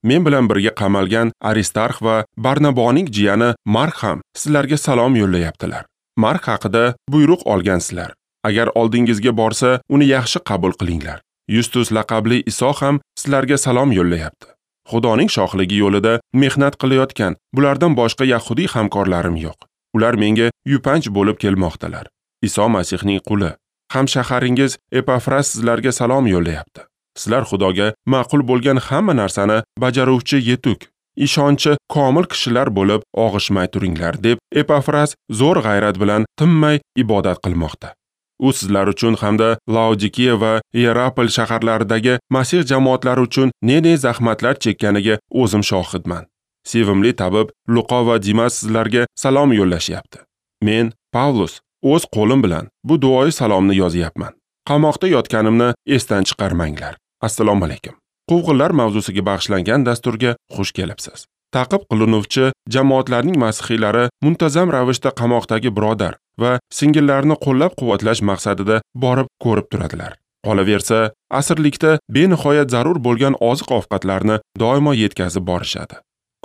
Men bilan birga qamalgan Aristarx va Barnaboning jiyani Mark ham sizlarga salom yo'llayaptilar. Mark haqida buyruq olgansizlar. Agar oldingizga borsa, uni yaxshi qabul qilinglar. Yustus laqabli Iso ham sizlarga salom yo'llayapti. Xudoning shohligi yo'lida mehnat qilayotgan bulardan boshqa yahudiy hamkorlarim yo'q. Ular menga yupanch bo'lib kelmoqdalar. Iso Masihning quli, hamshaharingiz Epafras sizlarga salom yo'llayapti. Sizlar Xudoga ma'qul bo'lgan hamma narsani bajaruvchi yetuk, ishonchi komil kishilar bo'lib og'ishmay turinglar deb Epafras zo'r g'ayrat bilan tinmay ibodat qilmoqda. U sizlar uchun hamda Laodikiya va Ierapol shaharlaridagi Masih jamoatlari uchun ne-ne zahmatlar chekkaniga o'zim shohidman. Sevimli tabib Luqo va Dimas sizlarga salom yo'llashyapti. Men, Pavlus, o'z qo'lim bilan bu duoyi salomni yozyapman. Qamoqda yotganimni esdan chiqarmanglar. Assalomu alaykum. Quvg'inlar mavzusiga bag'ishlangan dasturga xush kelibsiz. Ta'qib qilinuvchi jamoatlarning masihiylari muntazam ravishda qamoqdagi birodar va singillarni qo'llab-quvvatlash maqsadida borib ko'rib turadilar. Qolaversa, asirlikda benihoyat zarur bo'lgan oziq-ovqatlarni doimo yetkazib borishadi.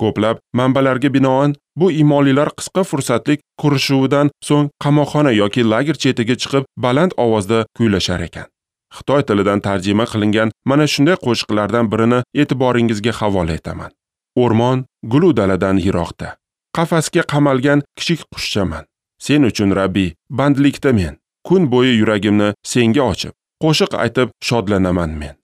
Ko'plab manbalarga binoan, bu iymonlilar qisqa fursatlik ko'rishuvidan so'ng qamoqxona yoki lager chetiga chiqib baland ovozda kuylashar ekan. Xitoy tilidan tarjima qilingan mana shunday qo'shiqlardan birini e'tiboringizga havola etaman. O'rmon gulu daladan yiroqda. Qafasga qamalgan kichik qushchaman. Sen uchun Rabbi, bandlikda men. Kun bo'yi yuragimni senga ochib, qo'shiq aytib shodlanaman men.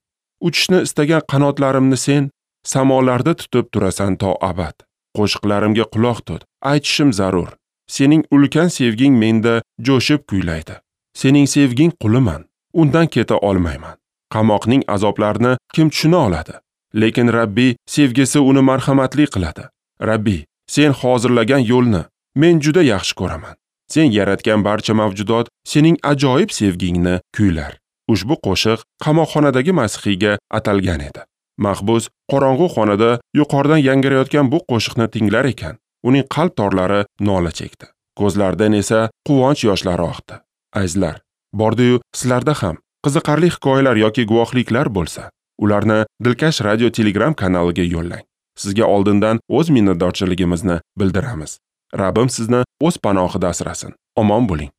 Uchishni istagan qanotlarimni sen samolarda tutib turasan to abad. Qo'shiqlarimga quloq tut, aytishim zarur. Sening ulkan sevging menda jo'shib kuylaydi. Sening sevging quliman, undan keta olmayman. Qamoqning azoblarini kim tushuna oladi? Lekin Rabbi sevgisi uni marhamatli qiladi. Rabbi, sen hozirlagan yo'lni men juda yaxshi ko'raman. Sen yaratgan barcha mavjudot sening ajoyib sevgingni kuylar. Ushbu qo'shiq qamoqxonadagi masihiyga atalgan edi. Mahbus qorong'u xonada yuqoridan yangrayotgan bu qo'shiqni tinglar ekan, uning qalb torlari nola chekdi. Ko'zlaridan esa quvonch yoshlari oqdi. Azizlar, bordi-yu sizlarda ham qiziqarli hikoyalar yoki guvohliklar bo'lsa, ularni Dilkash Radio Telegram kanaliga yo'llang. Sizga oldindan o'z minnatdorchiligimizni bildiramiz. Rabbim sizni o'z panohida asrasin. Omon bo'ling.